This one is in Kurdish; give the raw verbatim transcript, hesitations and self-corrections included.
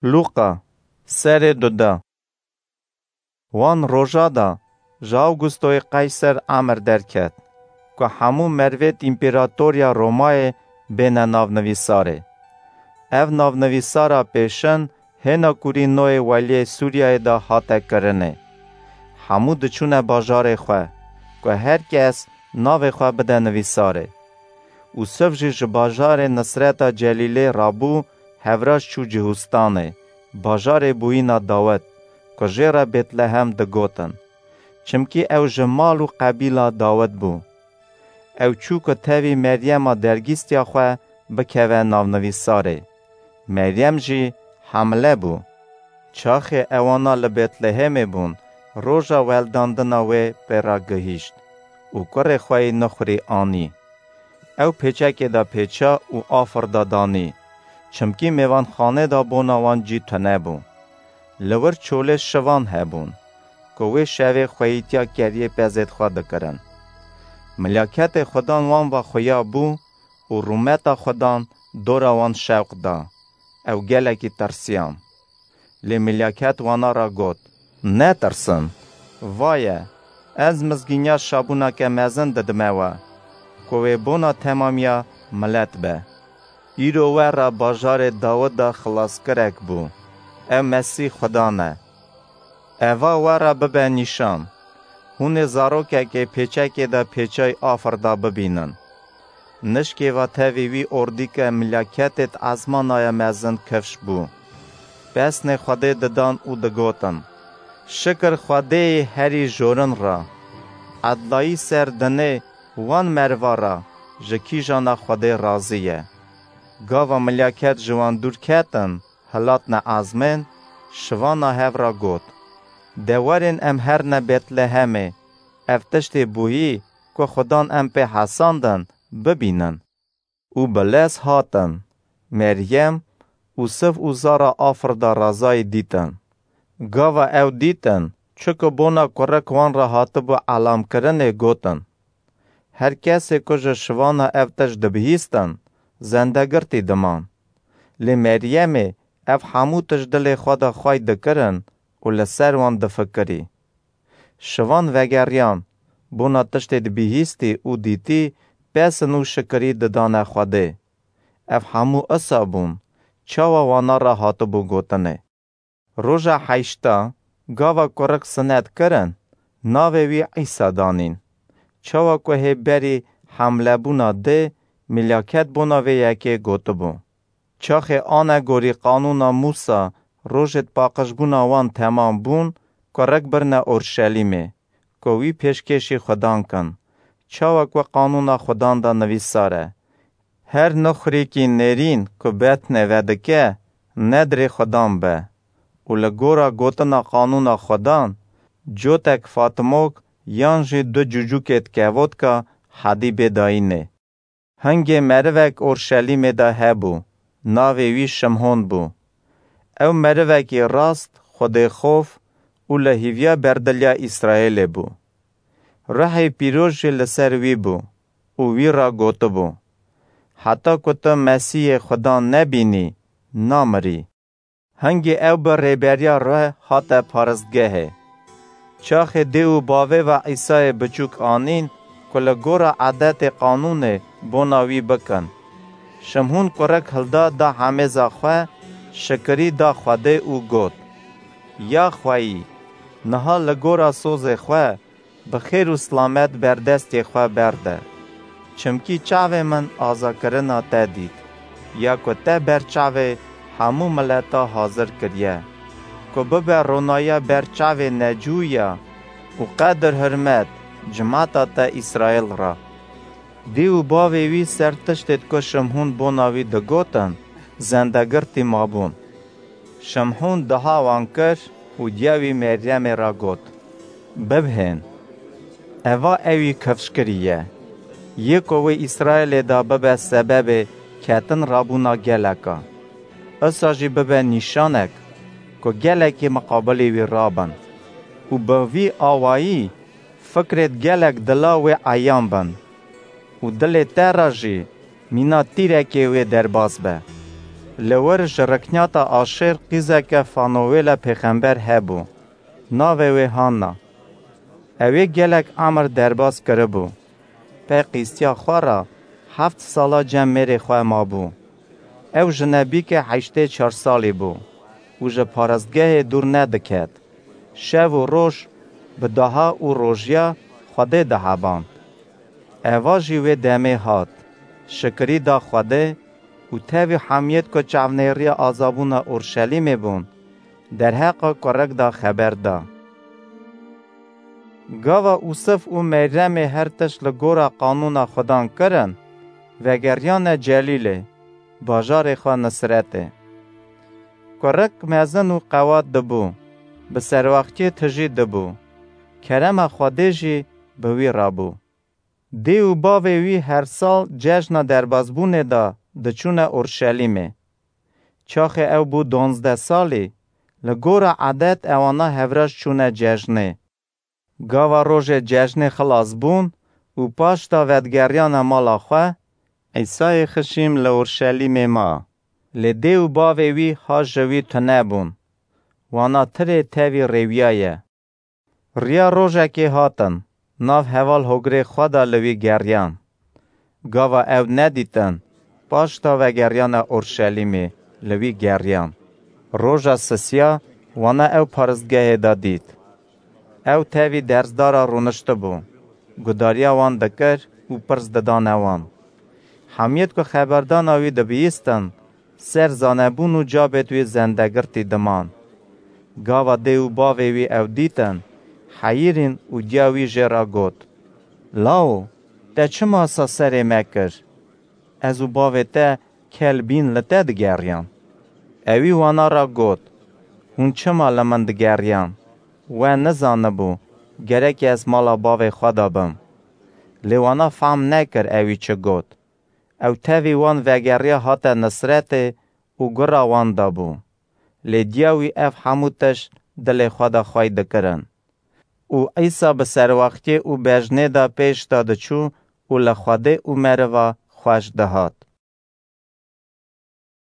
Lûqa, serê duda. Wan roja da ji Awgustoyê Qeyser emir derket, ku hemû mervêt împeratoriya Romayê bêne navnivîsarê. Ev navnivîsara pêşin hêna kurî noyê weliyê Sûriyeyê de hate kirinê. Hemû diçûne bajarê xwe, ku her kes navê xwe bide nivîsarê. Ûsiv jî ji bajarê Nisreta Celîlê rabû, hevraş çû Cihûstanê, bajarê bûyîna Dawid, ku jê re Bêtlehem digotin. Çimkî ew ji mal û qebîla Dawid bû. Ew çû ku tevî Meryema dergîstiya xwe bikeve navnivîsarê. Meryem jî hemle bû. Çaxê ewana li Betlehemê bûn, roja weldandina wê pê re gihîşt û kurê xwe yî nixurî anî. Ew pêçekê de pêça û afir de danî, çimkî mêvanxanê de bona wan cî tune bû. Li wir çolê şivan hebûn, ku wê şevê xweyîtiya keriyê pezêd xwe dikirin. Milaketê Xudan wan ve xuya bû û rûmeta Xudan dora wan şewq da. Ew gelekî tirsiyan. Lê milaket wana re got, "Netirsin! Vaye, ez mizgîniya şabûneke mezin didime we, ku wê bona temamiya milet be. Îro we re bajarê Dawida xilaskirek bû, ew Mesîh Xudan e. Eva we re bibe nîşan. Hûn ê zarokekê pêçekê de pêçay afir da bibînin." Nişkê ve tevî wî ordîke milaketêd ezmanaya mezin kifş bû. Pesnê Xwedê didan û digotin, "Şikir Xwedêyê herî jorin re. Edlayî ser dinê wan merva re ji kîjana Xwedê razî ye." Gava milaket ji wan dûr ketin, hilatne ezmên, şivana hev re got, "De werin em herine Betlehemê, ev tiştê bûyî ku Xudan em pê hesandin, bibînin." Û bi lez hatin, Meryem û siv û zara afir de razayî dîtin. Gava ew dîtin, çi ku bona kurik wan re hatibû elamkirinê, gotin, "Her kesê ku ji şivana ev tişt dibihîstin, zendegirtî diman." Lê Meryemê ev hemû tişt dilê xwe de xwey dikirin û li ser wan difikirî. Şivan vegeriyan, bona tiştê dibihîstî û dîtî, pesin û şikirî didane Xwedê. Ev hemû isa bûn, çawa wana re hatibû gotinê. Roja heşta, gava kurik sinet kirin, navê wî Îsa danîn. Çawa ku hê berî hemlebûna dê, milaket bona vê yekê gotibû, "Çaxê anegorî qanûna Mûsa, rojêd paqijbûna wan temam bûn, kurik birine Orşelîmê, ku wî pêşkêşî Xudan kin. Çawa ku qanûna Xudan de nivîsar e, 'Her nixurîkî nêrîn ku betnê vedike, nedrê Xudan be.' Û li gora gotina qanûna Xudan, cotek fatimok yan jî du cûcûkêd kevotka hedî bê dayînê." Hingê merivek Orşelîmê de hebû, navê wî Şimhon bû. Ew merivekî rast, xwedêxof û li hîviya berdiliya Îsraêlê bû. Ruhê Pîroz jî li ser wî bû û wî re gotibû, "Heta ku tu Mesîhê Xudan nebînî, namirî." Hingê ew bi rêberiya ruh hate paristgehê. Çaxê dê û bavê ve Îsayê biçûk anîn ku li gora edetê qanûnê bona wî bikin. Şimhûn kurik hilda da hemêza xwe, şikirî da Xwedê û got, "Ya xweyî, niha li gora sozê xwe bi xêr û silamet berdestê xwe berde. Çimkî çavê min azakirina te dît, ya ku te ber çavê hemû mileta hazir kiriye, ku bibe ronayiya ber çavê necûya û qedir hurmet cimata te Îsraîl re." Dê û bavê wî ser tiştêd ku Şimhûn bona wî digotin, zendegirtî mabûn. Şimhûn diha wan kir û diya wî Meryemê re got, "Bibhên, eva ewî kifşkirî ye, yê ku wê Îsraîlê de bibe sebebê ketin rabûna geleka. Isa jî bibe nîşanek ku gelekî miqabilê wî rabin û bi vî awayî fikrêd gelek dila wê eyan bin û dilê te re jî mîna tîrekê wê derbas be." Li wir ji rikniyata Aşêr qîzeke Fanowêla pêxember hebû, navê wê Hanna. Ew ê gelek emir derbas kiribû. Pê qîstiya xwe re heft sala cem mêrê xwe mabû. Ew jinebîke heştê çar salî bû û ji parastgehê dûr nediket. Şev û roj bi daha û rojiya Xwedê diheband. Eva jî wê demê hat, şikirî da Xwedê û tevî hemiyêt ku çavnêriya azabûna Orşelîmê bûn, derheqa kurik da xeber da. Gava Ûsif û Meryemê her tişt li gora qanûna Xudan kirin, vegeriyane Celîlê, bajarê xwe Nisretê. Kurik mezin û qewat dibû, bi serwaxtiyê tijî dibû, kerema Xwedê jî bi wî re bû. Dê û bavê wî her sal cejna derbasbûnê de diçûne Orşelîmê. Çaxê ew bû donzdeh salî, li gora edet ewana hevraş çûne cejnê. Gava rojê cejnê xilas bûn û paşta vedigeriyane mala xwe, Îsayê xişîm li Orşelîmê ma. Lê dê û bavê wî ha ji wî tune bûn. Wana tirê tevî rêwiyaye. Riya rojekê hatin, nav heval hogrê xwe de li wî geriyan. Gava ew nedîtin, paşta vegeriyane Orşelîmê li wî geriyan. Roja sisiya wana ew paristgehê de dît. Ew tevî dersdara rûniştibû, gudariya wan dikir û pirs didane wan. Hemiyêt ku xeberdana wî dibihîstin, ser zanebûn û cabêt wî zendegirtî diman. Gava dê û bavê wî ew dîtin, heyirîn û diya wî jê re got, Lawo, te çima sa serê me kir? Ez û bavê te kel bîn li te digeriyan. Ewî wana re got, Hûn çima li min digeriyan? We nizanibû, gerek ez mala bavê xwe de bim. Lê wana fehm nekir ewî çi got. Ew tevî wan vegeriya hate Nisretê û gura wan de bû. Lê diya wî ev hemû tişt dilê xwe de xwey dikirin. Û Îsa bi serwextiyê û bejnê de pêş de diçû û li Xwedê û meriva xweş dihat.